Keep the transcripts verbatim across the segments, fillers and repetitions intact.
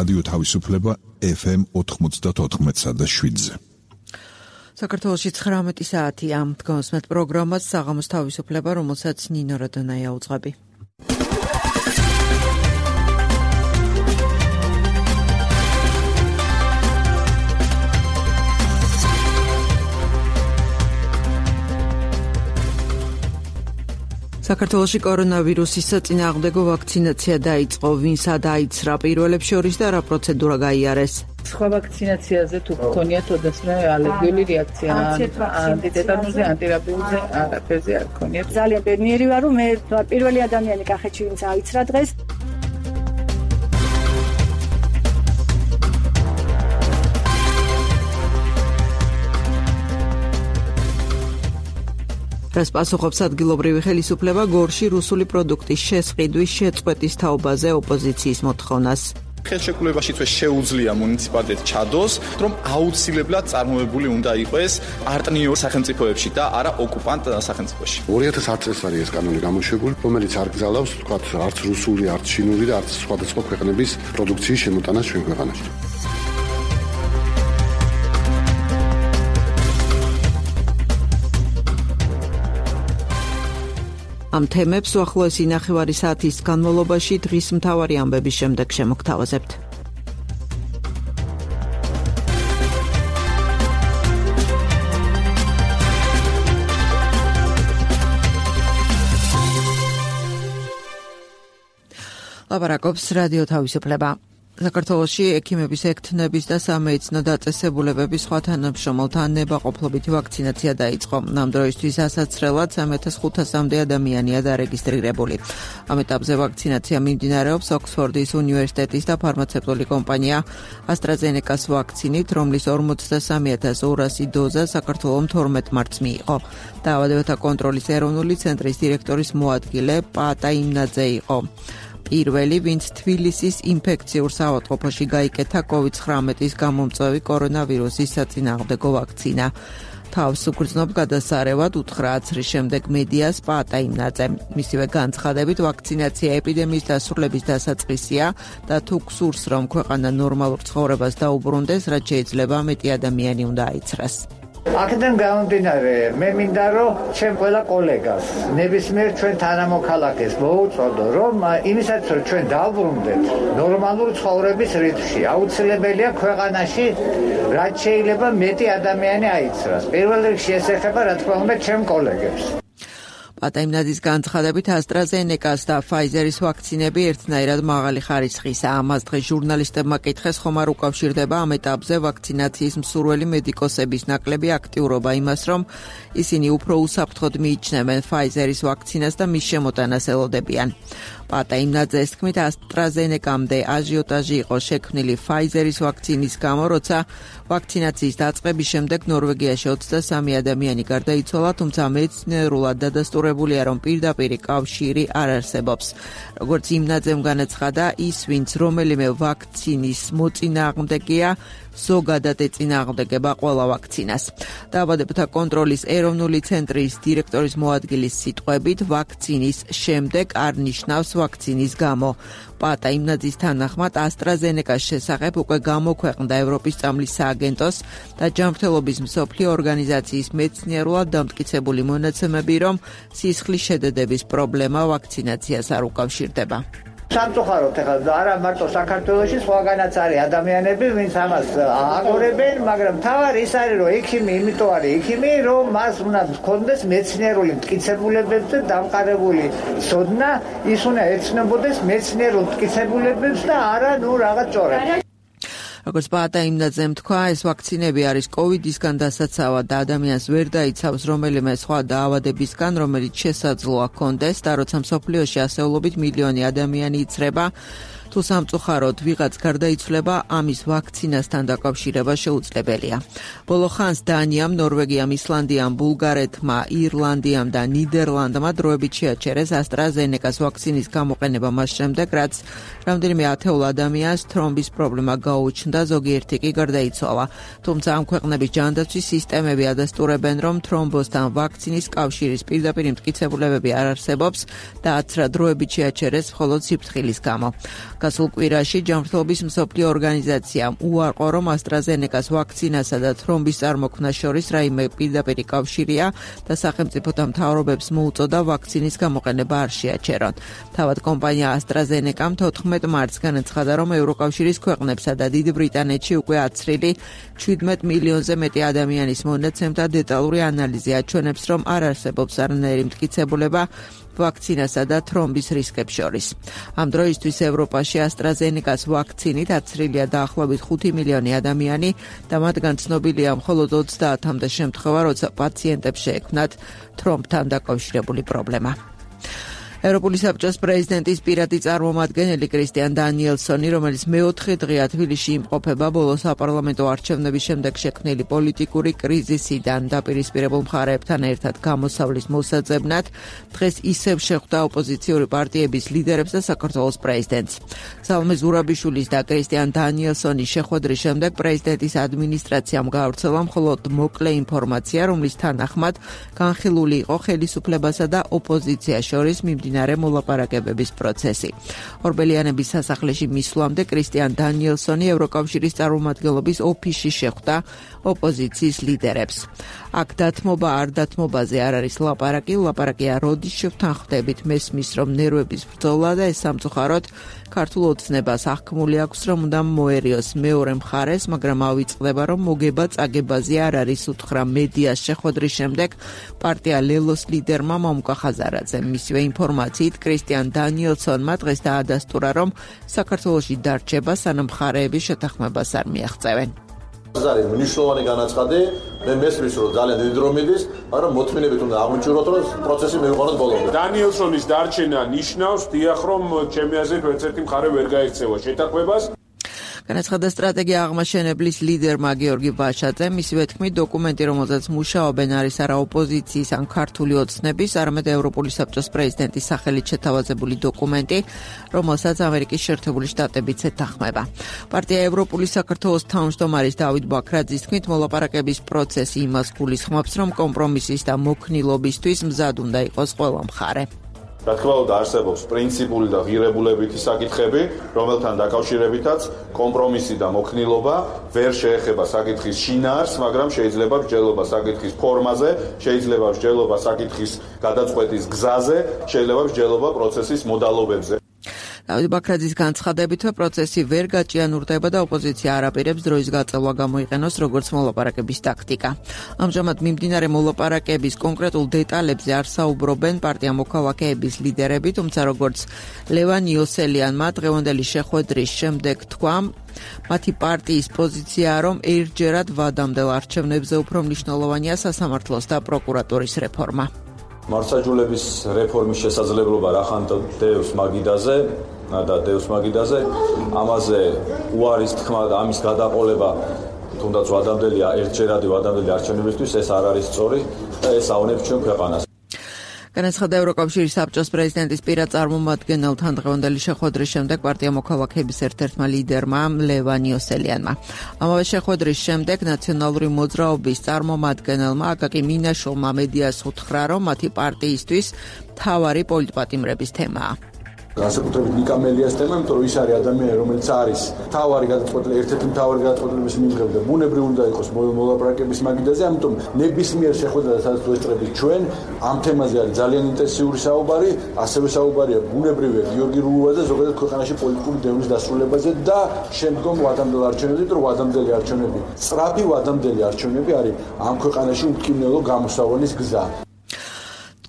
რადიო თავისუფლება ეფ ემ ოთხმოცდაოთხ და შვიდზე. საქართველოში ცხრამეტი საათია. დგომსმეთ პროგრამას საღამოს თავისუფლება, რომელსაც ნინო როდონაია უძღვები. საქართველოში კორონავირუსის საწინააღმდეგო ვაქცინაცია დაიწყო. ვინსა დაიცრა პირველებს შორის და რა პროცედურა გაიარეს? სხვა ვაქცინაციაზე თუ გქონიათ ოდესმე ალერგიული რეაქცია, ანტიტეტანურზე, ანტირაბიულზე, არაფერზე არ გქონიათ. ძალიან ბედნიერი ვარ, რომ მე პირველი ადამიანი კახეთში ვინც აიცრა დღეს. რას პასუხობს ადგილობრივი ხელისუფლება გორში რუსული პროდუქტის შესყიდვის შეწყვეტის თაობაზე ოპოზიციის მოთხოვნას? ხელშეკრულებაშიც შეუძლია მუნიციპალიტეტ ჩადოს, რომ აუცილებლად წარმოებული უნდა იყოს პარტნიორ სახელმწიფოებში და არა ოკუპანტ სახელმწიფოში. ორი ათას ათი წელს არის ეს კანონი გამოშვებული, რომელიც არ გზავნავს, თქვათ, არც რუსული, არც ჩინური და არც სხვადასხვა ქვეყნების პროდუქციის შემოტანას ჩვენ ქვეყანაში. ამ თემებს უახლოესი ნახევარი საათის განმავლობაში დღის მთავარი ამბების შემდეგ შემოგთავაზებთ. ლაპარაკობს რადიო თავისუფლება. საქართველოში ექიმების ექთნების და სამედიცინო დაწესებულებების სხვა თანამშრომელთა ნებაყოფლობითი ვაქცინაცია დაიწყო. ამ დროისთვის ასაცრელად სამი ათას ხუთასამდე ადამიანია დარეგისტრირებული. ამ ეტაპზე ვაქცინაცია მიმდინარეობს ოქსფორდის უნივერსიტეტის და ფარმაცევტული კომპანია AstraZeneca-ს ვაქცინით, რომლის ორმოცდასამი ათას ორასი დოზა საქართველოს თორმეტ მარტს მიიღო. დაავადებათა კონტროლის ეროვნული ცენტრის დირექტორის მოადგილე პატა იმნაძე იყო პირველი, ვინც თბილისის ინფექციურ საავადმყოფოში გაიკეთა კოვიდ ცხრამეტის გამომწვევი კორონავირუსის საწინააღმდეგო ვაქცინა. თავს უგრძნობ გადასარევად უთხრა აცრის შემდეგ მედიას პატა იმნაძე. მისივე განცხადებით, ვაქცინაცია ეპიდემიის დასრულების დასაწყისია და თუ გსურს, რომ ქვეყანა ნორმალურ ცხოვრებას დაუბრუნდეს, რაც შეიძლება მეტი ადამიანი უნდა აიცრას. აქედან გამომდინარე, მე მინდა რომ ჩემ ყველა კოლეგას, ნებისმიერ ჩვენ თანამოქალაქეს მოუწოდო, რომ იმისაც რომ ჩვენ დავბრუნდეთ ნორმალურ ცხოვრების რიტმში, აუცილებელია ქვეყანაში რაც შეიძლება მეტი ადამიანი აიცრას. პირველ რიგში ეს ეხება რა თქმა უნდა ჩემ კოლეგებს. პატა იმნაძის განცხადებით AstraZeneca-ს და Pfizer-ის ვაქცინები ერთნაირად მაღალი ხარისხისაა. ამას დღეს ჟურნალისტებმა კითხეს, ხომ არ უკავშირდება ამ ეტაპზე ვაქცინაციის მსურველი მედიკოსების ნაკლები აქტიურობა იმას, რომ ისინი უფრო უსაფრთხოდ მიიჩნევენ Pfizer-ის ვაქცინას და მის შემოტანას ელოდებიან. პატა იმნაძეს თქმით, AstraZeneca-მდე აჟიოტაჟი იყო შექმნილი Pfizer-ის ვაქცინის გამო, როცა ვაქცინაციის დაწყების შემდეგ ნორვეგიაში ოცდასამი ადამიანი გარდაიცვალა, თუმცა მეცნიერულად დადასტურებულია, რომ პირდაპირი კავშირი არ არსებობს. როგორც იმნაძემ განაცხადა, ის, ვინც რომელიმე ვაქცინის მოწინააღმდეგეა, ზოგადად ეწინააღმდეგება ყველა ვაქცინას. დაავადებათა კონტროლის ეროვნული ცენტრის დირექტორის მოადგილის სიტყვებით, ვაქცინის შემდეგ არ ნიშნავს ვაქცინის გამო. პატა იმნაძის თანახმად AstraZeneca-ს შესახებ უკვე გამოქვეყნდა ევროპის წამლის სააგენტოს და ჯანმრთელობის მსოფლიო ორგანიზაციის მეცნიერულად დამტკიცებული მონაცემები, რომ სისხლის შედედების პრობლემა ვაქცინაციას არ უკავშირდება. სამწუხაროდ ეხლა არა მარტო საქართველოში, სხვაგანაც არის ადამიანები, ვინც ამას აგორებენ, მაგრამ თავარი ის არის, რომ ექიმი იმიტომ არის ექიმი, რომ მას უნდა ჰქონდეს მეცნიერული მტკიცებულებებზე დამყარებული ცოდნა, ის უნდა ეცნობოდეს მეცნიერულ მტკიცებულებებს და არა ნუ რაღაც ჭორებს. როგორც პატა იმნაძემ თქვა, ეს ვაქცინები არის კოვიდისგან დასაცავად და ადამიანს ვერ დაიცავს რომელიმე სხვა დაავადებისგან, რომელიც შესაძლოა ჰქონდეს და როცა მსოფლიოში ასეულობით მილიონი ადამიანი იცრება, თუ სამწუხაროდ ვიღაც გარდაიცვლება, ამის ვაქცინასთან დაკავშირება შეუძლებელია. ბოლო ხანს დანიამ, ნორვეგიამ, ისლანდიამ, ბულგარეთმა, ირლანდიამ და ნიდერლანდმა დროებით შეაჩერეს AstraZeneca-ს ვაქცინის გამოყენება მას შემდეგ, რაც რამდენიმე ათეულ ადამიანს თრომბის პრობლემა გაუჩნდა, ზოგიერთი კი გარდაიცვალა. თუმცა ამ ქვეყნების ჯანდაცვის სისტემები ადასტურებენ, რომ თრომბოსთან ვაქცინის კავშირის პირდაპირ მტკიცებულებები არ არსებობს და აცრა დროებით შეაჩერეს მხოლოდ სიფრთხილის გამო. გასულ კვირაში ჯანმრთელობის მსოფლიო ორგანიზაციამ უარყო, რომ AstraZeneca-ს ვაქცინასა და თრომბის წარმოქმნას შორის რაიმე პირდაპირი კავშირია და სახელმწიფოთა მთავრობებს მოუწოდა ვაქცინის გამოყენება არ შეაჩერონ. თავად კომპანია AstraZeneca-მ თოთხმეტ მარტს განაცხადა, რომ ევროკავშირის ქვეყნებსა და დიდ ბრიტანეთში უკვე აცრილი შვიდმეტ მილიონზე მეტი ადამიანის მონაცემთა დეტალური ანალიზი აჩვენებს, რომ არ არსებობს არანაირი მტკიცებულება ვაქცინასა და თრომბის რისკებს შორის. ამ დროისთვის ევროპაში AstraZeneca-ს ვაქცინით აცრილია დაახლოებით ხუთი მილიონი ადამიანი და მათგან ცნობილია მხოლოდ ოცდაათამდე შემთხვევა, როცა პაციენტებს შეექმნათ თრომბთან დაკავშირებული პრობლემა. ევროპული საბჭოს პრეზიდენტის პირადი წარმომადგენელი კრისტიან დანიელსონი, რომელიც მეოთხე დღეა თბილისში იმყოფება ბოლო საპარლამენტო არჩევნების შემდეგ შექმნილი პოლიტიკური კრიზისიდან დაპირისპირებულ მხარეებთან ერთად გამოსავლის მოსაძებნად, დღეს ისევ შეხვდა ოპოზიციური პარტიების ლიდერებს და საქართველოს პრეზიდენტს. სალომე ზურაბიშვილის და კრისტიან დანიელსონის შეხვედრის შემდეგ პრეზიდენტის ადმინისტრაციამ გაავრცელა მხოლოდ მოკლე ინფორმაცია, რომლის თანახმად განხილული იყო ხელისუფლებასა და ოპოზიციას შორის მიმდინარე მოლაპარაკებების პროცესი. ორბელიანების სასახლეში მისვლამდე კრისტიან დანიელსონი ევროკავშირის წარმომადგენლობის ოფისში შეხვდა ოპოზიციის ლიდერებს. აქ დათმობა არ დათმობაზე არ არის ლაპარაკი, ლაპარაკია როდის შევთანხმდებით, მესმის, რომ ნერვების ბრძოლა და ეს სამწუხაროდ ქართულ ოცნებას აღქმული აქვს, რომ უნდა მოერიოს მეორე მხარეს, მაგრამ ავიწყდება, რომ მოგება წაგებაზე არ არის, უთხრა მედიას შეხვედრის შემდეგ პარტია ლელოს ლიდერმა მამუკა ხაზარაძემ. მისივე ინფორმაციით კრისტიან დანიელსონმა დღეს დაადასტურა, რომ საქართველოში დარჩება, სანამ მხარეები შეთანხმებას არ მიაღწევენ. ეს არის მნიშვნელოვანი განაცხადი. მე მესმის, რომ ძალიან დიდი დრო მიდის, მაგრამ მოთმინებით უნდა აღმოჩნდეთ, რომ პროცესი მივიყვანოთ ბოლომდე. დანიელსონის დარჩენა ნიშნავს, დიახ, რომ ჩემი აზრით ერთ-ერთი მხარე ვერ გაექცევა შეთანხმებას. განაცხადა სტრატეგია აღმაშენებლის ლიდერმა გიორგი ბაშაძემ. მისივე თქმით, დოკუმენტი, რომელზეც მუშაობენ, არის არა ოპოზიციის ან ქართული ოცნების, არამედ ევროპული საბჭოს პრეზიდენტის სახელით შეთავაზებული დოკუმენტი, რომელსაც ამერიკის შეერთებული შტატებიც ეთანხმება. პარტია ევროპული საქართველოს თავმჯდომარის დავით ბაქრაძის თქმით, მოლაპარაკების პროცესი იმას გულისხმობს, რომ კომპრომისის და მოქნილობისთვის მზად უნდა იყოს ყველა მხარე. რა თქმა უნდა, არსებობს პრინციპული და ღირებულებითი საკითხები, რომელთან დაკავშირებითაც კომპრომისი და მოქნილობა ვერ შეეხება საკითხის შინაარსს, მაგრამ შეიძლება მსჯელობა საკითხის ფორმაზე, შეიძლება მსჯელობა საკითხის გადაწყვეტის გზაზე, შეიძლება მსჯელობა პროცესის მოდალობებზე. დავით ბაქრაძის განცხადებით, პროცესი ვერ გაჭიანურდება და ოპოზიცია არ აპირებს დროის გაწევა გამოიყენოს როგორც მოლაპარაკების ტაქტიკა. ამჟამად მიმდინარე მოლაპარაკების კონკრეტულ დეტალებზე არ საუბრობენ პარტია მოქალაქეების ლიდერები, თუმცა როგორც ლევან იოსელიანმა დღევანდელი შეხვედრის შემდეგ თქვა, მათი პარტიის პოზიციაა, რომ ერთჯერად ვადამდელ არჩევნებზე უფრო მნიშვნელოვანია სასამართლოს და პროკურატურის რეფორმა. მართლმსაჯულების რეფორმის შესაძლებლობა რახან დევს მაგიდაზე და დევს მაგიდაზე, ამაზე უარის თქმა და ამის გადაყოლება თუნდაც ვადამდელი ერთჯერადი ვადამდელი არჩევნებისთვის ეს არ არის სწორი და ეს ავნებს ჩვენ ქვეყანას. განაცხადა ევროკავშირის საბჭოს პრეზიდენტის პირად წარმომადგენელთან დღევანდელი შეხვედრის შემდეგ პარტია მოქალაქეების ერთ-ერთმა ლიდერმა ლევან იოსელიანმა. ამავე შეხვედრის შემდეგ ნაციონალური მოძრაობის წარმომადგენელმა აკაკი მინაშვილმა მედიას უთხრა, რომ მათი პარტიისთვის მთავარი პოლიტპატიმრების თემაა. განსაკუთრებით ნიკა მელიას თემა, იმიტომ რომ ის არის ადამიანი, რომელიც არის მთავარი გადაწყვეტილების, ერთ-ერთი მთავარი გადაწყვეტილების მიმღები და ბუნებრივ უნდა იყოს მოლაპარაკების მაგიდაზე, ამიტომ ნებისმიერ შეხვედრაზე, სადაც ვესწრებით ჩვენ, ამ თემაზე არის ძალიან ინტენსიური საუბარი, ასევე საუბარია ბუნებრივია გიორგი რუვაზე, ზოგადად ქვეყანაში პოლიტიკური დევნის დასრულებაზე და შემდგომ ვადამდელ არჩევნებზე, იმიტომ რომ ვადამდელი არჩევნები, სწრაფი ვადამდელი არჩევნები არის ამ ქვეყანაში უმტკივნეულო გამოსავლის გზა.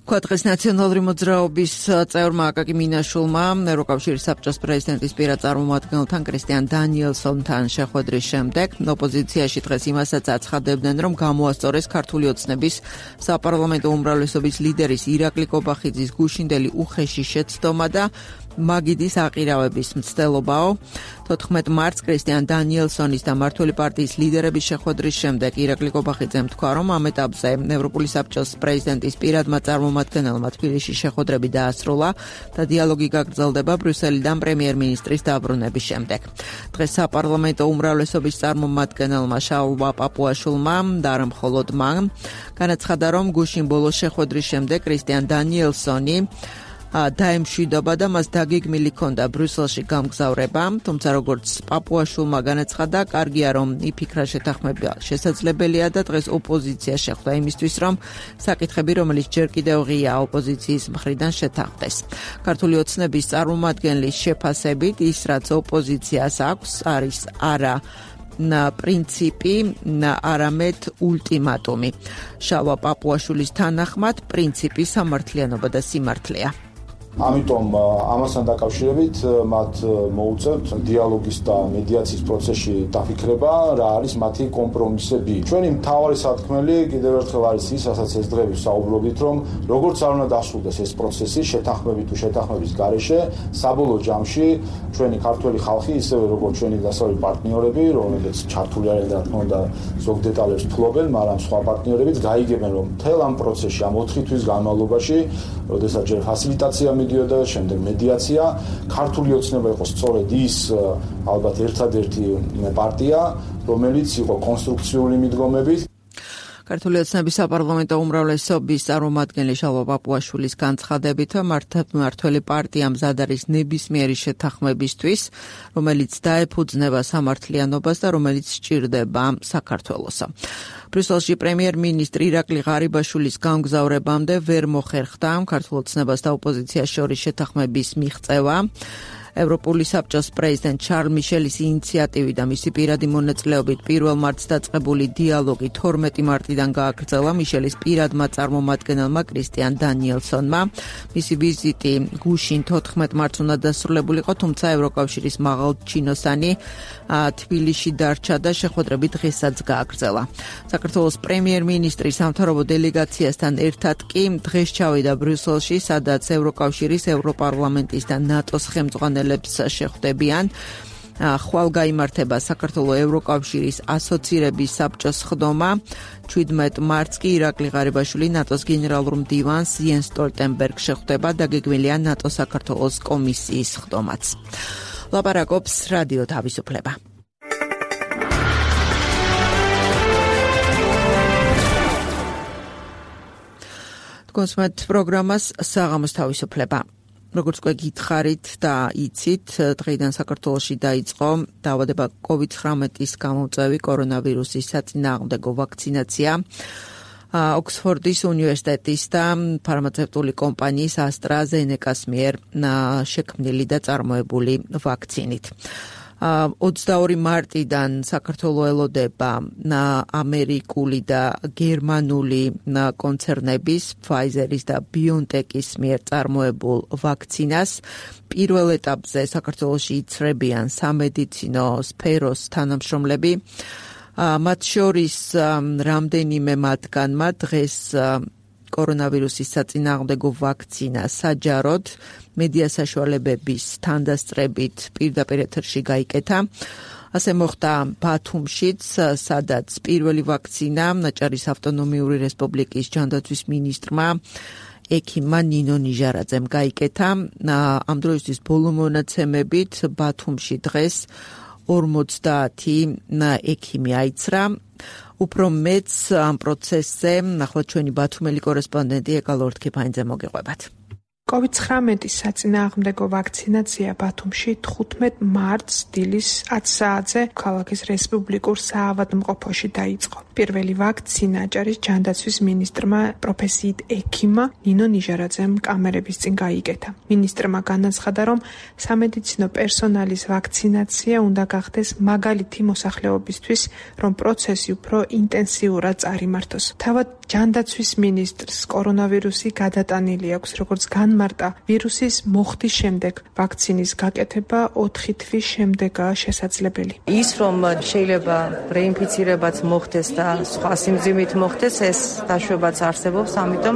თქვა დღეს ნაციონალური მოძრაობის წევრმა აკაკი მინაშვილმა ევროკავშირის საბჭოს პრეზიდენტის პირად წარმომადგენელთან კრისტიან დანიელსონთან შეხვედრის შემდეგ ოპოზიციაში დღეს იმასაც აცხადებდნენ, რომ გამოასწორეს ქართული ოცნების საპარლამენტო უმრავლესობის ლიდერის ირაკლი კობახიძის გუშინდელი უხეში შეცდომა და მაგიდის აყირავების მცდელობაო. თოთხმეტ მარტს კრისტიან დანიელსონის და მმართველი პარტიის ლიდერების შეხვედრის შემდეგ ირაკლი კობახიძემ თქვა, რომ ამ ეტაპზე ევროპული საბჭოს პრეზიდენტის პირადმა წარმომადგენელმა თბილისში შეხვედრები დაასრულა და დიალოგი გაგრძელდება ბრიუსელიდან პრემიერ-მინისტრის დაბრუნების შემდეგ. დღეს საპარლამენტო უმრავლესობის წარმომადგენელმა შაულვა პაპუაშვილმა და არა მხოლოდ მან განაცხადა, რომ გუშინ ბოლოს შეხვედრის შემდეგ კრისტიან დანიელსონი დაემშვიდობა და მას დაგეგმილი ჰქონდა ბრიუსელში გამგზავრება, თუმცა როგორც პაპუაშვილმა განაცხადა, კარგია რომ იფიქრა შეთანხმება შესაძლებელია და დღეს ოპოზიცია შეხვდა იმისთვის, რომ საკითხები, რომელიც ჯერ კიდევ ღია ოპოზიციის მხრიდან შეთანხმდეს. ქართული ოცნების წარმომადგენლის შეფასებით, ის რაც ოპოზიციას აქვს, არის არა პრინციპი, არამედ ულტიმატუმი. შალვა პაპუაშვილის თანახმად, პრინციპი სამართლიანობა და სიმართლეა. ამიტომ ამასთან დაკავშირებით მათ მოუწევთ დიალოგის და მედიაციის პროცესში დაფიქრება, რა არის მათი კომპრომისები. ჩვენი მთავარი სათქმელი კიდევ ერთხელ არის ის, რასაც ეს დღეები საუბრობთ, რომ როგორც არ უნდა დასრულდეს ეს პროცესი შეთანხმებით თუ შეთანხმების გარეშე, საბოლოო ჯამში ჩვენი ქართველი ხალხი, ისევე როგორც ჩვენი დასავლელი პარტნიორები, რომლებიც ჩართული არიან და რა თქმა უნდა ზოგ დეტალებს ფლობენ, მაგრამ სხვა პარტნიორებიც გაიგებენ, რომ მთელ ამ პროცესში, ამ ოთხი თვის განმავლობაში, როდესაც ჯერ ფასილიტაცია მიდიოდა, შემდეგ მედიაცია, ქართული ოცნება იყო სწორედ ის ალბათ ერთადერთი პარტია, რომელიც იყო კონსტრუქციული მიდგომებით. ქართული ოცნების საპარლამენტო უმრავლესობის წარმომადგენელი შალვა პაპუაშვილის განცხადებით, მმართველი პარტია მზად არის ნებისმიერი შეთანხმებისთვის, რომელიც დაეფუძნება სამართლიანობას და რომელიც სჭირდება საქართველოსა. ბრიუსელში პრემიერ-მინისტრი ირაკლი ღარიბაშვილის გამგზავრებამდე ვერ მოხერხდა ქართულ ოცნებას და ოპოზიციას შორის შეთანხმების მიღწევა. ევროპული საბჭოს პრეზიდენტ შარლ მიშელის ინიციატივით და მისი პირადი მონაწილეობით პირველ მარტს დაწყებული დიალოგი თორმეტი მარტიდან გააგრძელა მიშელის პირადმა წარმომადგენელმა კრისტიან დანიელსონმა. მისი ვიზიტი გუშინ თოთხმეტ მარტს უნდა დასრულებულიყო, თუმცა ევროკავშირის მაღალჩინოსანი თბილისში დარჩა და შეხვედრები დღესაც გააგრძელა. საქართველოს პრემიერ-მინისტრი სამთავრობო დელეგაციასთან ერთად კი დღეს ჩავიდა ბრიუსელში, სადაც ევროკავშირის, ევროპარლამენტის და ნატოს ხელმძღვანელები შეხვდებიან. ხვალ გაიმართება საქართველოს ევროკავშირის ასოცირების საბჭოს ხდომა. ჩვიდმეტ მარტს კი ირაკლი ღარიბაშვილი ნატოს გენერალურ მდივანს იენს სტოლტენბერგს შეხვდება, დაგეგმილია ნატო საქართველოს კომისიის ხდომაც. ლაპარაკობს რადიო თავისუფლება. კონსმეთ პროგრამას საღამოს თავისუფლება. როგორც უკვე გითხარით და იცით, დღეიდან საქართველოში დაიწყო დაავადება კოვიდ ცხრამეტის გამომწვევი კორონავირუსის საწინააღმდეგო ვაქცინაცია. ოქსფორდის უნივერსიტეტის და ფარმაცევტული კომპანიის AstraZeneca-ს მიერ შექმნილი და წარმოებული ვაქცინით. ოცდაორი მარტიდან საქართველოს ელოდება ამერიკული და გერმანული კონცერნების Pfizer-ის და BioNTech-ის მიერ წარმოებულ ვაქცინას. პირველ ეტაპზე საქართველოში იცრებიან სამედიცინო სფეროს თანამშრომლები. მათ შორის რამდენიმე მათგანმა დღეს კორონავირუსის საწინააღმდეგო ვაქცინა საჯაროდ მედია საშუალებების თანდასწრებით პირდაპირ ეთერში გაიკეთა. ასე მოხდა ბათუმშიც, სადაც პირველი ვაქცინა აჭარის ავტონომიური რესპუბლიკის ჯანდაცვის მინისტრმა ექიმმა ნინო ნიჟარაძემ გაიკეთა. ამ დროისთვის ბოლო მონაცემებით ბათუმში დღეს ორმოცდაათი ექიმი აიცრა. უფრო მეც ამ პროცესზე ნახოთ ჩვენი ბათუმელი კორესპონდენტი ეკალ ორთქიფანიძე მოგიყვებათ. კოვიდ ცხრამეტის საწინააღმდეგო ვაქცინაცია ბათუმში თხუთმეტ მარტს დილის ათი საათზე ქალაქის რესპუბლიკურ საავადმყოფოში დაიწყო. პირველი ვაქცინა აჭარის ჯანდაცვის მინისტრმა პროფესიით ექიმმა ნინო ნიჟარაძემ კამერების წინ გაიკეთა. მინისტრმა განაცხადა, რომ სამედიცინო პერსონალის ვაქცინაცია უნდა გახდეს მაგალითი მოსახლეობისთვის, რომ პროცესი უფრო ინტენსიურად წარიმართოს. თავად ჯანდაცვის მინისტრს კორონავირუსი გადატანილი აქვს, როგორც განმარტა, ვირუსის მოხდის შემდეგ ვაქცინის გაკეთება ოთხი თვის შემდეგაა შესაძლებელი. ის რომ შეიძლება რეინფიცირებაც მოხდეს და სხვა სიმძიმით მოხდეს, ეს დაშვებაც არსებობს, ამიტომ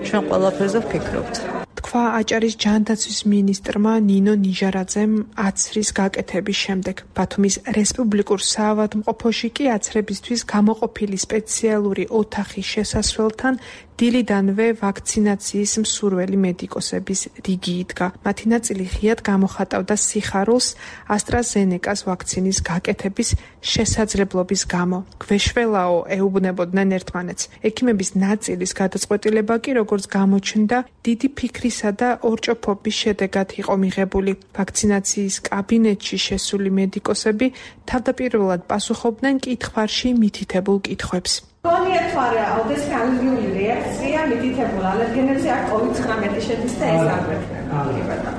ჩვენ ყველაფერზე ვფიქრობთ. თქვა აჭარის ჯანდაცვის მინისტრმა ნინო ნიჟარაძემ აცრის გაკეთების შემდეგ. ბათუმის რესპუბლიკურ საავადმყოფოში კი აცრებისთვის გამოყოფილი სპეციალური ოთახის შესასვლელთან დილიდანვე ვაქცინაციის მსურველი მედიკოსების რიგი იდგა. მათი ნაწილი ღიად გამოხატავდა სიხარულს AstraZeneca-ს ვაქცინის გაკეთების შესაძლებლობის გამო. გვეშველაო ეუბნებოდნენ ერთმანეთს. ექიმების ნაწილის გადაწყვეტილება კი, როგორც გამოჩნდა, დიდი ფიქრისა და ორჭოფობის შედეგად იყო მიღებული. ვაქცინაციის კაბინეტში შესული მედიკოსები თავდაპირველად პასუხობდნენ კითხვარში მითითებულ კითხვებს. გონიათ თუ არა აუდეს ალერგიული რეაქცია მითითებულ ალერგენებზე აქ კოვიდ ცხრამეტი შედის და ეს აგვეთქვა.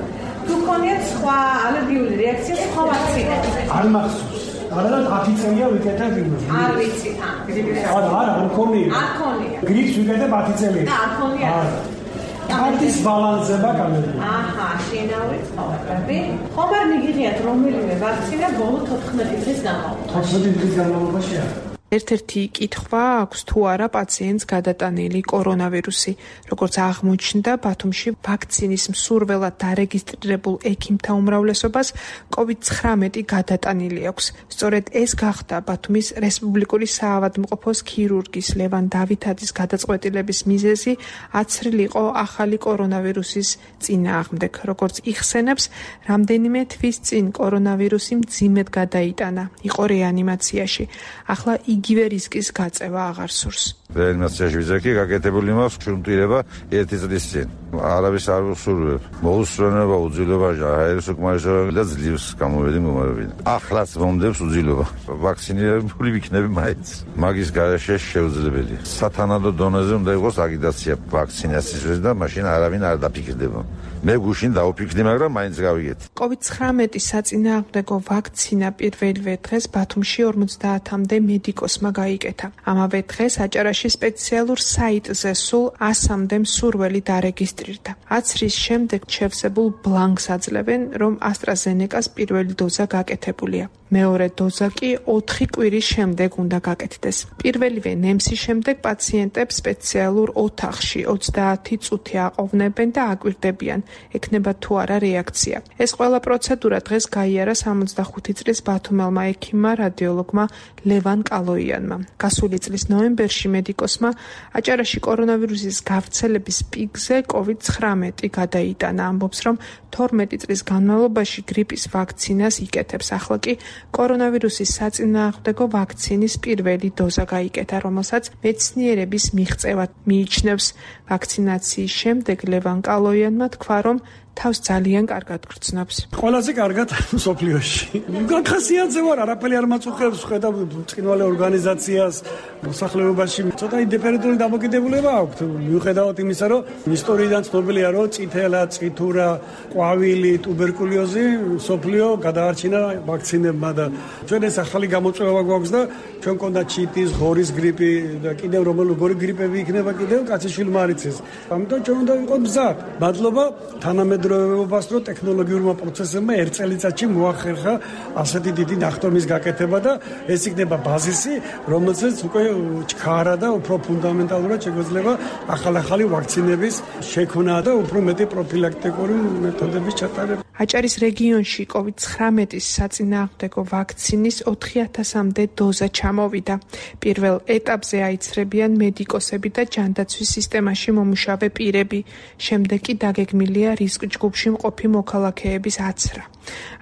თუ გონიათ სხვა ალერგიული რეაქცია სხვა ვაქცინები? არ მახსოვს. არა და ათი წელია ვიკეთებ იმას. არ ვიცი თან. არა, არა, არ მქონია. არ მქონია. გრიპს ვიკეთებ ათი წელია. და არ მქონია. კარტის ბალანსება გამედი. აჰა, შინაური ცხოვრები. ხომ არ მიგიღიათ რომელიმე ვაქცინა ბოლო თოთხმეტი წლის განმავლობაში? თოთხმეტი წლის განმავლობაში არა. ერთ-ერთი კითხვა აქვს თუ არა პაციენტს გადატანილი კორონავირუსი. როგორც აღმოჩნდა, ბათუმში ვაქცინის მსურველად დარეგისტრირებულ ექიმთა უმრავლესობას კოვიდ ცხრამეტი გადატანილი აქვს. სწორედ ეს გახდა ბათუმის რესპუბლიკური საავადმყოფოს ქირურგის ლევან დავითაძის გადაწყვეტილების მიზეზი აცრილიყო ახალი კორონავირუსის წინააღმდეგ. როგორც იხსენებს, რამდენიმე თვის წინ კორონავირუსი მძიმედ გადაიტანა, იყო რეანიმაციაში. ახლა იგივე რისკის გაწევა აღარ სურს. რეანიმაციაში ვიზაკი გაკეთებული მაქვს ჩუმტირება ერთი წლის წინ. არავის არ ვსურვებ. მოუსწრონება უძილობაში აეროს უკმარისობები და ძლივს გამოვედი მდგომარეობიდან. ახლაც მომდებს უძილობა. ვაქცინირებული ვიქნები მაინც. მაგის გარეშე შეუძლებელია. სათანადო დონეზე უნდა იყოს აგიტაცია ვაქცინაციის და მაშინ არავინ არ დაფიქრდება. მე გუშინ დავფიქრდი, მაგრამ მაინც გავიგეთ. კოვიდ ცხრამეტი საწინააღმდეგო ვაქცინა პირველივე დღეს ბათუმში ორმოცდაათამდე მედიკოსმა გაიკეთა. ამავე დღეს აჭარაში სპეციალურ საიტზე სულ ასამდე მსურველი დარეგისტრირდა. აცრის შემდეგ შევსებულ ბლანკს აძლევენ, რომ AstraZeneca-ს პირველი დოზა გაკეთებულია. მეორე დოზა კი ოთხი კვირის შემდეგ უნდა გაკეთდეს. პირველივე ნემსის შემდეგ პაციენტებს სპეციალურ ოთახში ოცდაათი წუთი აყოვნებენ და აკვირდებიან, ექნება თუ არა რეაქცია. ეს ყველა პროცედურა დღეს გაიარა სამოცდახუთი წლის ბათუმელმა ექიმმა რადიოლოგმა ლევან კალოიანმა. გასული წლის ნოემბერში მედიკოსმა აჭარაში კორონავირუსის გავრცელების პიკზე კოვიდ ცხრამეტი გადაიტანა. ამბობს, რომ თორმეტი წლის განმავლობაში გრიპის ვაქცინას იკეთებს. ახლა კი კორონავირუსის საწინააღმდეგო ვაქცინის პირველი დოზა გაიკეთა, რომელსაც მეცნიერების მიღწევად მიიჩნევს. ვაქცინაციის შემდეგ ლევან კალოიანმა თქვა, რომ თავს ძალიან კარგად გრძნობს. ყველაზე კარგად სოფლიოში. გახასიათზე ვარ, არაფერი არ მაწუხებს, ხედავ ბრწყინვალე ორგანიზაციას, მოსახლეობაში ცოტა ინდიფერენტული დამოკიდებულება აქვს. მიუხედავად იმისა, რომ ისტორიიდან ცნობილია, რომ წითელა, წითურა, ყვავილი, ტუბერკულოზი სოფლიო გადაარჩინა ვაქცინებმა და ჩვენ ეს ახალი გამოწვევა გვაქვს და ჩვენ მქონდა ჩიტის, ღორის გრიპი და კიდევ რომელი გრიპები იქნება კიდევ კაციშვილმა არ იცის. ამიტომ ჩვენ უნდა ვიყოთ მზად. მადლობა თანამედროვეობას, რომ ტექნოლოგიურმა პროცესებმა ერთ წელიწადში მოახერხა ასეთი დიდი ნახტომის გაკეთება და ეს იქნება ბაზისი, რომელსაც უკვე ჩქარა და უფრო ფუნდამენტალურად შეგვეძლება ახალ-ახალი ვაქცინების შექმნა და უფრო მეტი პროფილაქტიკური მეთოდების ჩატარება. აჭარის რეგიონში კოვიდ ცხრამეტის საწინააღმდეგო ვაქცინის ოთხი ათასამდე დოზა ჩამოვიდა. პირველ ეტაპზე აიცრებიან მედიკოსები და ჯანდაცვის სისტემაში მომუშავე პირები. შემდეგ კი დაგეგმილია რისკ ჯგუფში მყოფი მოქალაქეების აცრა.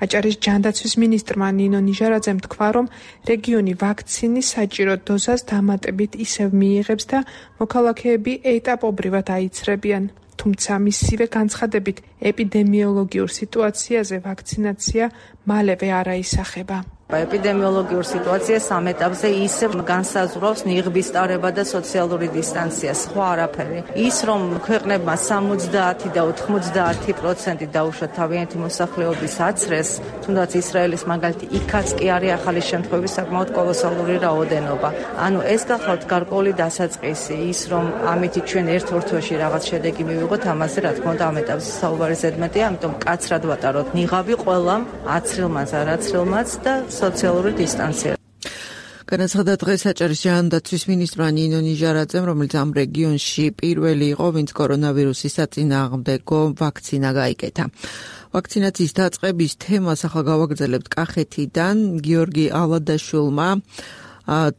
აჭარის ჯანდაცვის მინისტრმა ნინო ნიჟარაძემ თქვა, რომ რეგიონი ვაქცინის საჭირო დოზას დამატებით ისევ მიიღებს და მოქალაქეები ეტაპობრივად აიცრებიან. თუმცა მისივე განცხადებით ეპიდემიოლოგიურ სიტუაციაზე ვაქცინაცია მალევე არ აისახება. ეპიდემიოლოგიურ სიტუაციას ამ ეტაპზე ისევ განსაზღვრავს ნიღბის ტარება და სოციალური დისტანცია, სხვა არაფერი. ის რომ ქვეყნებმა სამოცდაათი და ოთხმოცდაათი პროცენტი დაუშვათ თავიანთი მოსახლეობის აცრეს, თუნდაც ისრაელის მაგალითი იქაც კი არის ახალი შემთხვევების საკმაოდ კოლოსალური რაოდენობა. ანუ ეს გახლავთ გარკვეული დასაწყისი, ის რომ ამითი ჩვენ ერთ ორთვეში რაღაც შედეგი მივიღოთ, ამაზე რა თქმა უნდა ამ ეტაპზე საუბარი ზედმეტია, ამიტომ კაცრად ვატაროთ ნიღაბი ყველამ, აცრილმაც, არაცრილმაც და სოციალური დისტანცია. განაცხადა დღეს აჭარის ჯანდაცვის მინისტრმა ნინო ნიჟარაძემ, რომელიც ამ რეგიონში პირველი იყო, ვინც კორონავირუსის საწინააღმდეგო ვაქცინა გაიკეთა. ვაქცინაციის დაწყების თემას ახლა გავაგრძელებთ კახეთიდან. გიორგი ალადაშვილმა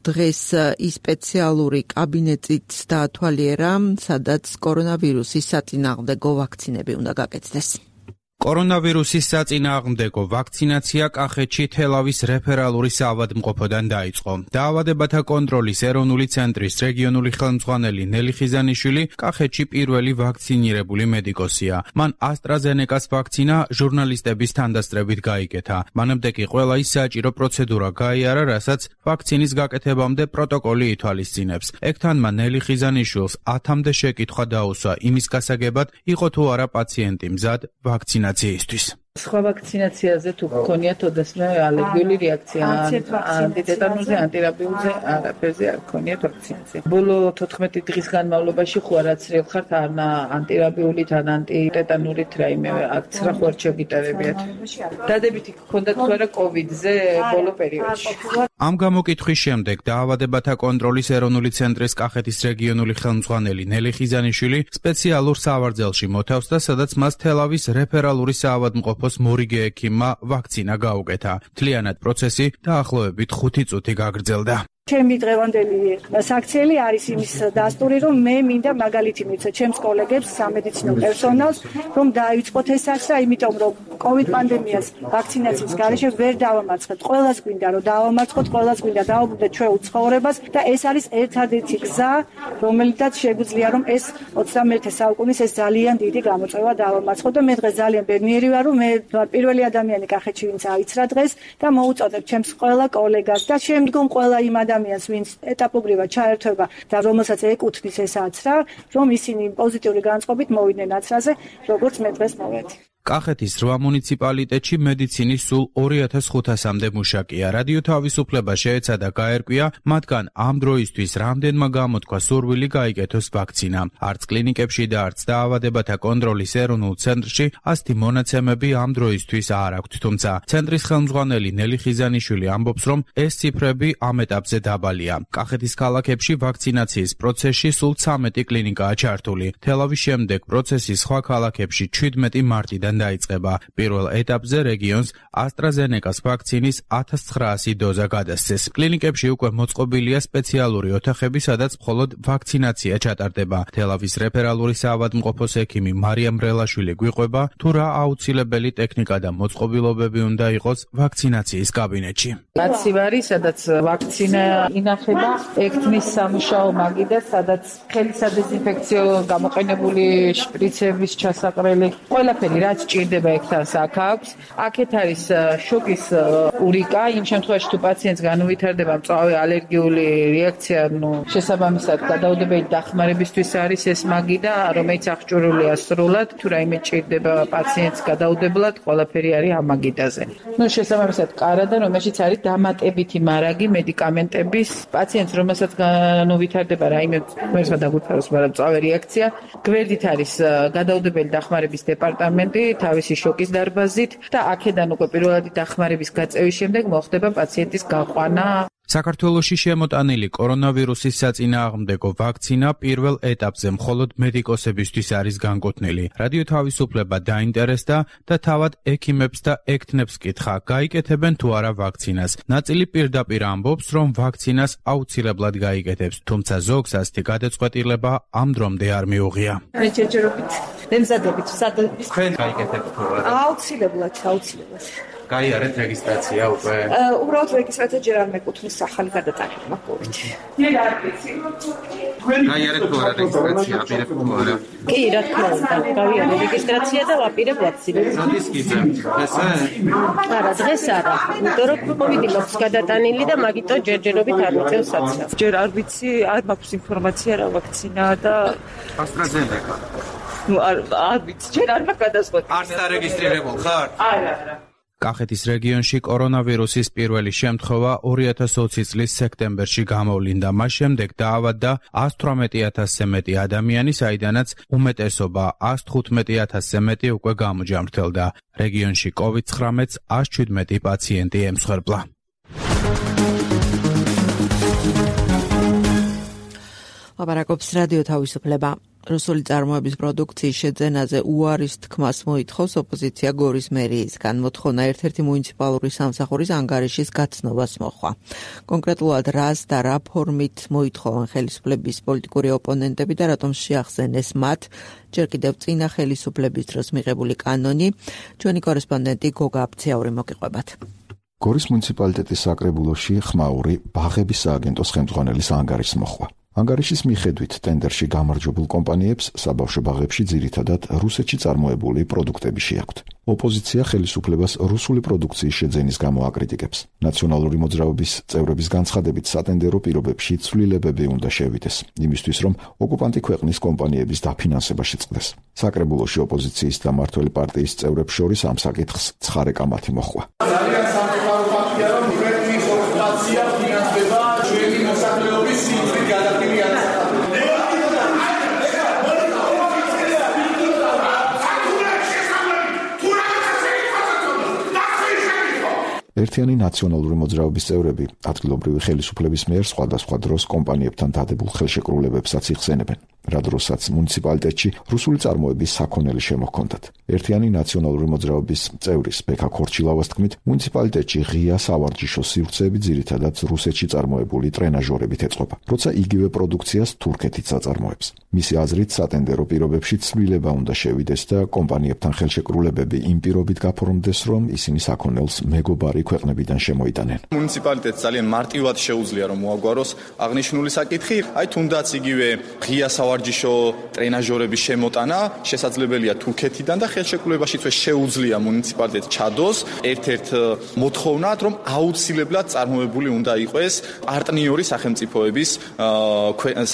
დღეს ის სპეციალური კაბინეტიც დაათვალიერა, სადაც კორონავირუსის საწინააღმდეგო ვაქცინები უნდა გაკეთდეს. კორონავირუსის საწინააღმდეგო ვაქცინაცია კახეთში თელავის რეფერალური საავადმყოფოდან დაიწყო. დაავადებათა კონტროლის ეროვნული ცენტრის რეგიონული ხელმძღვანელი ნელი ხიზანიშვილი კახეთში პირველი ვაქცინირებული მედიკოსია. მან ასტრაზენეკას ვაქცინა ჟურნალისტების თანდასწრებით გაიგეთა. მანამდე კი ყველა ის საჭირო პროცედურა გაიარა, რასაც ვაქცინის გაკეთებამდე პროტოკოლი ითვალისწინებს. ეგთანმა ნელი ხიზანიშვილს ათამდე შეკითხვა დაუსვა იმის გასაგებად, იყო თუ არა პაციენტი მზად ვაქცინა სხვა ვაქცინაციაზე თუ გქონიათ ოდესმე ალერგიული რეაქცია, ანტიტეტანურზე, ანტირაბიულზე, არაფერზე არ გქონიათ ვაქცინაცია. ბოლო თოთხმეტი დღის განმავლობაში ხო არაცრიელ ხართ ან ანტირაბიულით, ან ანტიტეტანურით რაიმე აქცია ხო არ შეგიტარებიათ. დადებითი გქონდათ თუ არა კოვიდზე ბოლო პერიოდში. ამ გამოკითხვის შემდეგ დაავადებათა კონტროლის ეროვნული ცენტრის კახეთის რეგიონული ხელმძღვანელი ნელი ხიზანიშვილი სპეციალურ სავარძელში მოთავს და სადაც მას თელავის რეფერალური საავადმყოფოს მორიგე ექიმმა ვაქცინა გაუკეთა. მთლიანად პროცესი დაახლოებით ხუთი წუთი გაგრძელდა. ჩემი დღევანდელი საქციელი არის იმის დასტური, რომ მე მინდა მაგალითი მიცე ჩემს კოლეგებს, სამედიცინო პერსონალს, რომ დაიწყოთ ეს აქცია, იმიტომ რომ კოვიდ პანდემიას ვაქცინაციის გარეშე ვერ დავამარცხებთ. ყველას გვინდა რომ დავამარცხოთ, ყველას გვინდა დავუბრუნდეთ ჩვენ უცხოვრებას და ეს არის ერთადერთი გზა, რომელიცაც შეგვიძლია რომ ეს ოცდამეერთე საუკუნის ეს ძალიან დიდი გამოწვევა დავამარცხოთ და მე დღეს ძალიან ბედნიერი ვარ, რომ მე პირველი ადამიანი კახეთში ვინც აიცრა დღეს და მოუწოდებ ჩემს ყველა კოლეგას და შემდგომ ყველა იმ ადამიანს, ვინც ეტაპობრივად ჩაერთვება და რომელსაც ეკუთვნის ეს აცრა, რომ ისინი პოზიტიური განწყობით მოვიდნენ აცრაზე, როგორც მე დღეს მოვედი. კახეთის რვა მუნიციპალიტეტში მედიცინის სულ ორი ათას ხუთასამდე მუშაკია. რადიო თავისუფლება შეეცადა გაერკვია, მათგან ამ დროისთვის რამდენმა გამოთქვა სურვილი გაიგეთოს ვაქცინა. არც კლინიკებში და არც დაავადებათა კონტროლის ეროვნულ ცენტრში ასეთი მონაცემები ამ დროისთვის არ აქვთ. თუმცა ცენტრის ხელმძღვანელი ნელი ხიზანიშვილი ამბობს, რომ ეს ციფრები ამ ეტაპზე დაბალია. კახეთის ქალაქებში ვაქცინაციის პროცესში სულ ცამეტი კლინიკაა ჩართული. თელავის შემდეგ პროცესი სხვა ქალაქებში ჩვიდმეტი მარტიდან დაიწყება. პირველ ეტაპზე რეგიონს ასტრაზენეკას ვაქცინის ათას ცხრაასი დოზა გადასცეს. კლინიკებში უკვე მოწყობილია სპეციალური ოთახები, სადაც მხოლოდ ვაქცინაცია ჩატარდება. თელავის რეფერალური საავადმყოფოს ექიმი მარიამ რელაშვილი გვიყვება, თუ რა აუცილებელი ტექნიკა და მოწყობილობები უნდა იყოს ვაქცინაციის კაბინეტში. კაცივარი, სადაც ვაქცინა ინახება, ექთნის სამუშაო მაგიდა, სადაც ხელის სადეზინფექციო გამოყენებული შპრიცების ჩასაყრელი, ყველაფერი რაც ჭირდება ექთანს აქ აქვს. აქეთ არის შოკის ურიკა, იმ შემთხვევაში თუ პაციენტს განუვითარდება მწვავე ალერგიული რეაქცია, ნუ შესაბამისად გადაუდებელი დახმარებისთვის არის ეს მაგიდა, რომელიც აღჭურვილია სრულად, თუ რაიმე ჭირდება პაციენტს გადაუდებლად, ყველაფერი არის ამ მაგიდაზე. ნუ შესაბამისად კარადა, რომელშიც არის დამატებითი მარაგი მედიკამენტების პაციენტს, რომელსაც განუვითარდება რაიმე ღმერთმა დაგვიფაროს, მაგრამ მწვავე რეაქცია, გვერდით არის გადაუდებელი დახმარების დეპარტამენტი თავისი შოკის დარბაზით და აქედან უკვე პირველადი დახმარების გაწევის შემდეგ მოხდება პაციენტის გაყვანა. საქართველოში შემოტანილი კორონავირუსის საწინააღმდეგო ვაქცინა პირველ ეტაპზე მხოლოდ მედიკოსებისთვის არის განკუთვნილი. რადიო თავისუფლება დაინტერესდა და თავად ექიმებს და ექთნებს კითხა, გაიკეთებენ თუ არა ვაქცინას. ნაწილი პირდაპირ ამბობს, რომ ვაქცინას აუცილებლად გაიკეთებს, თუმცა ზოგს ასეთი გადაწყვეტილება ამ დრომდე არ მიუღია. მე ჯერჯერობით მემზადებით, სადაც თქვენ გაიკეთებთ თუ არა? აუცილებლად, აუცილებლად. გაიარეთ რეგისტრაცია უკვე? უბრალოდ რეგისტრაცია ჯერ არ მეკუთვნის ახალი გადატანება კოვიდ. გაიარეთ თუ არა რეგისტრაცია, აპირებ თუ არა? კი, რა თქმა უნდა, გავიარე რეგისტრაცია და ვაპირებ ვაქცინას. როდის გიძებთ? ესე? არა, დღეს არა. იმიტომ რომ კოვიდი მაქვს გადატანილი და მაგიტომ ჯერჯერობით არ მიწევს საცნავს. ჯერ არ ვიცი, არ მაქვს ინფორმაცია რა ვაქცინაა და AstraZeneca. ნუ არ არ ვიცი, ჯერ არ მაქვს გადაწყვეტილი. არც დარეგისტრირებულ ხარ? არა, არა. კახეთის რეგიონში კორონავირუსის პირველი შემთხვევა ორი ათას ოცი წლის სექტემბერში გამოვლინდა. მას შემდეგ დაავადდა ათას თვრამეტი ათასზე მეტი ადამიანი, საიდანაც უმეტესობა ათას თხუთმეტი ათასზე მეტი უკვე გამოჯამრთელდა. რეგიონში კოვიდ ცხრამეტს ათას შვიდმეტი პაციენტი ემსხვერპლა. ლაპარაკობს რადიო თავისუფლება. რუსული წარმოების პროდუქციის შეძენაზე უარის თქმას მოითხოვს ოპოზიცია გორის მერიისგან. მოთხოვნა ერთ-ერთი მუნიციპალური სამსახურის ანგარიშის გაცნობას მოჰყვა. კონკრეტულად რას და რა ფორმით მოითხოვან ხელისუფლების პოლიტიკური ოპონენტები და რატომ შეახსენეს მათ ჯერ კიდევ წინა ხელისუფლების დროს მიღებული კანონი. ჩვენი კორესპონდენტი გოგა აბციაური მოგიყვებათ. გორის მუნიციპალიტეტის საკრებულოში ხმაური ბაღების სააგენტოს ხელმძღვანელის ანგარიშს მოჰყვა. ანგარიშის მიხედვით ტენდერში გამარჯვებულ კომპანიებს საბავშვო ბაღებში ძირითადად რუსეთში წარმოებული პროდუქტები შეაქვთ. ოპოზიცია ხელისუფლებას რუსული პროდუქციის შეძენის გამო აკრიტიკებს. ნაციონალური მოძრაობის წევრების განცხადებით სატენდერო პირობებში ცვლილებები უნდა შევიდეს, იმისთვის რომ ოკუპანტი ქვეყნის კომპანიების დაფინანსება შეწყდეს. საკრებულოში ოპოზიციის და მმართველი პარტიის წევრებს შორის ამ საკითხს ცხარე კამათი მოჰყვა. ძალიან სამწუხარო ფაქტია, რომ ქვეყნის ოკუპაცია ფინანსდება ჩვენი მოსახლეობის სიძვით გადახდილი ერთიანი ნაციონალური მოძრაობის წევრები ადგილობრივი ხელისუფლების მიერ სხვადასხვა დროს კომპანიებთან დადებულ ხელშეკრულებებსაც იხსენებენ, რა დროსაც მუნიციპალიტეტში რუსული წარმოების საქონელი შემოჰქონდათ. ერთიანი ნაციონალური მოძრაობის წევრის ბექა ქორჩილავას თქმით, მუნიციპალიტეტში ღია სავარჯიშო სივრცეები ძირითადად რუსეთში წარმოებული ტრენაჟორებით ეწყობა, როცა იგივე პროდუქციას თურქეთიც აწარმოებს. მისი აზრით, სატენდერო პირობებში ცვლილება უნდა შევიდეს და კომპანიებთან ხელშეკრულებები იმ პირობით გაფორმდეს, რომ ისინი საქონელს მეგობარი ქვეყნებიდან შემოიტანენ. მუნიციპალიტეტს ძალიან მარტივად შეუძლია რომ მოაგვაროს აღნიშნული საკითხი, აი თუნდაც იგივე ღია სავარჯიშო ტრენაჟორების შემოტანა შესაძლებელია თურქეთიდან და ხელშეკრულებაშიც შეუძლია მუნიციპალიტეტს ჩადოს ერთ-ერთ მოთხოვნად, რომ აუცილებლად წარმოებული უნდა იყოს პარტნიორი სახელმწიფოების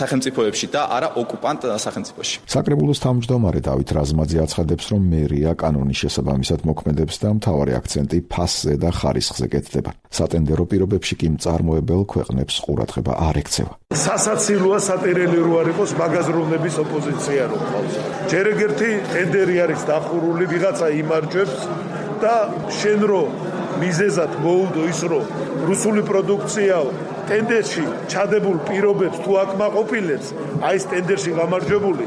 სახელმწიფოებში და არა ოკუპანტ სახელმწიფოში. საკრებულოს თავმჯდომარე დავით რაზმაძე აცხადებს, რომ მერია კანონის შესაბამისად მოქმედებს და მთავარი აქცენტი ფასზე და ხარისხზე კეთდება. სატენდერო პირობებში კი მწარმოებელ ქვეყნებს ყურადღება არ ექცევა. სასაცილოა სატერელი რო არ იყოს მაგაზროვნების ოპოზიცია რო ყავს. ჯერ ეგერთი ტენდერი არის დახურული, ვიღაცა იმარჯვებს და შენ რო მიზეზად მოუდო ის რო რუსული პროდუქციაო ტენდერში ჩადებულ პირობებს თუ აკმაყოფილებს, აი ეს ტენდერში გამარჯვებული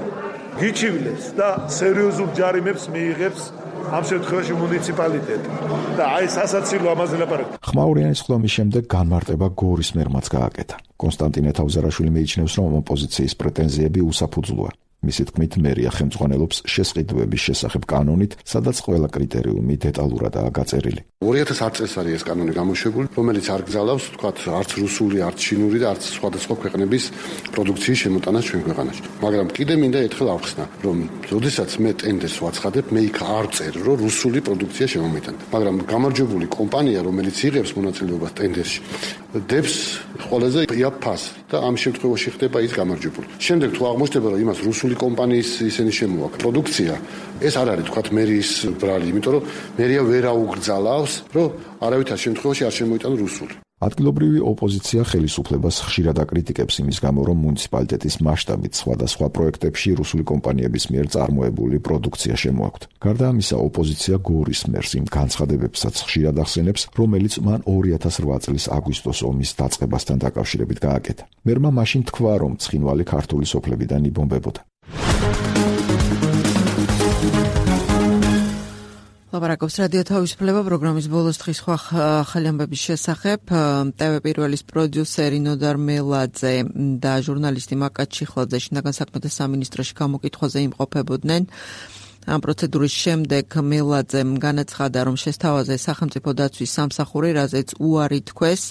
გიჩივლებს და სერიოზულ ჯარიმებს მიიღებს ამ შემთხვევაში მუნიციპალიტეტი და აი სასაცილო ამაზე ლაპარაკი. ხმაურიანის ხდომის შემდეგ განმარტება გორის მერმაც გააკეთა. კონსტანტინე თავზარაშვილი მიიჩნევს, რომ ოპოზიციის პრეტენზიები უსაფუძვლოა. მისი თქმით, მერია ხელმძღვანელობს შესყიდვების შესახებ კანონით, სადაც ყველა კრიტერიუმი დეტალურადაა გაწერილი. ორი ათას ათ წელს არის ეს კანონი გამოშვებული, რომელიც არ გზალავს, თქვათ, არც რუსული, არც ჩინური და არც სხვადასხვა ქვეყნების პროდუქციის შემოტანას ჩვენ ქვეყანაში. მაგრამ კიდე მინდა ერთხელ ავხსნა, რომ როდესაც მე ტენდერს ვაცხადებ, მე იქ არ წერ, რომ რუსული პროდუქცია შემომიტანდა. მაგრამ გამარჯვებული კომპანია, რომელიც იღებს მონაწილეობას ტენდერში, დებს ყველაზე იაფას და ამ შემთხვევაში ხდება ის გამარჯვებული. შემდეგ თუ აღმოჩნდება, რომ იმას რუსული კომპანიის ისინი შემოაქვს პროდუქცია, ეს არ არის თქვათ მერიის ბრალი, იმიტომ რომ მერია ვერ აუგრძალავს, რომ არავითარ შემთხვევაში არ შემოიტანო რუსული. ადგილობრივი ოპოზიცია ხელისუფლებას ხშირად აკრიტიკებს იმის გამო, რომ მუნიციპალიტეტის მასშტაბით სხვადასხვა პროექტებში რუსული კომპანიების მიერ წარმოებული პროდუქცია შემოაქვთ. გარდა ამისა, ოპოზიცია გორის მერს იმ განცხადებებსაც ხშირად ახსენებს, რომელიც მან ორი ათას რვა წლის აგვისტოს ომის დაწყებასთან დაკავშირებით გააკეთა. მერმა მაშინ თქვა, რომ ცხინვალი ქართული სოფლებიდან იბომბებოდა. ლაპარაკობს რადიო თავისუფლება პროგრამის ბოლოს დღის სხვა ახალი ამბების შესახებ. ტევ პირველის პროდიუსერი ნოდარ მელაძე და ჟურნალისტი მაკაც ჩიხლაძე შინაგან საქმეთა სამინისტროში გამოკითხვაზე იმყოფებოდნენ. ამ პროცედურის შემდეგ მელაძემ განაცხადა, რომ შესთავაზე სახელმწიფო დაცვის სამსახური, რაზეც უარი თქვეს,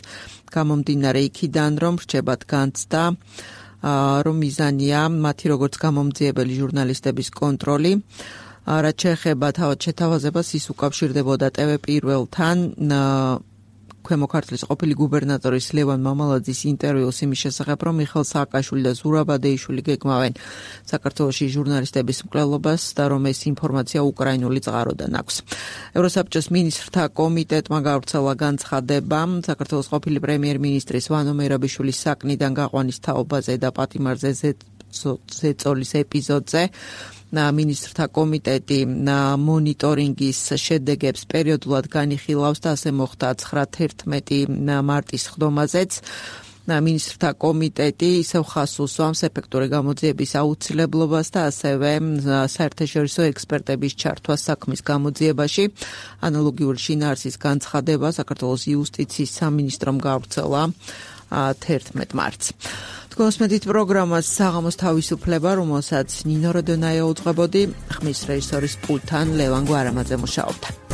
გამომდინარე იქიდან, რომ რჩებათ განცდა, რომ მიზანია მათი როგორც გამომძიებელი ჟურნალისტების კონტროლი. რაც შეეხება თავად შეთავაზებას, ის უკავშირდებოდა ტევ პირველთან ქვემო ქართლის ყოფილი გუბერნატორის ლევან მამალაძის ინტერვიუს იმის შესახებ, რომ მიხეილ სააკაშვილი და ზურაბ ბადეიშვილი გეგმავენ საქართველოში ჟურნალისტების მკვლელობას და რომ ეს ინფორმაცია უკრაინული წყაროდან აქვს. ევროსაბჭოს მინისტრთა კომიტეტმა გავრცელა განცხადება საქართველოს ყოფილი პრემიერ-მინისტრის ვანო მერაბიშვილის საკნიდან გაყვანის თაობაზე და პატიმარზე ზეწოლის ეპიზოდზე. მინისტრთა კომიტეტი მონიტორინგის შედეგებს პერიოდულად განიხილავს და ასე მოხდა ცხრა თერთმეტი მარტის ხდომაზეც. მინისტრთა კომიტეტი ისევ ხას უსვამს ეფექტური გამოძიების აუცილებლობას და ასევე საერთაშორისო ექსპერტების ჩართვას საქმის გამოძიებაში. ანალოგიური შინაარსის განცხადება საქართველოს იუსტიციის სამინისტრომ გავრცელა თერთმეტ მარტს. თქვენს მედით პროგრამას საღამოს თავისუფლება, რომელსაც ნინო როდონაია უძღვებოდი, ხმის რეჟისორის პულტთან ლევან გვარამაძე მუშაობდა.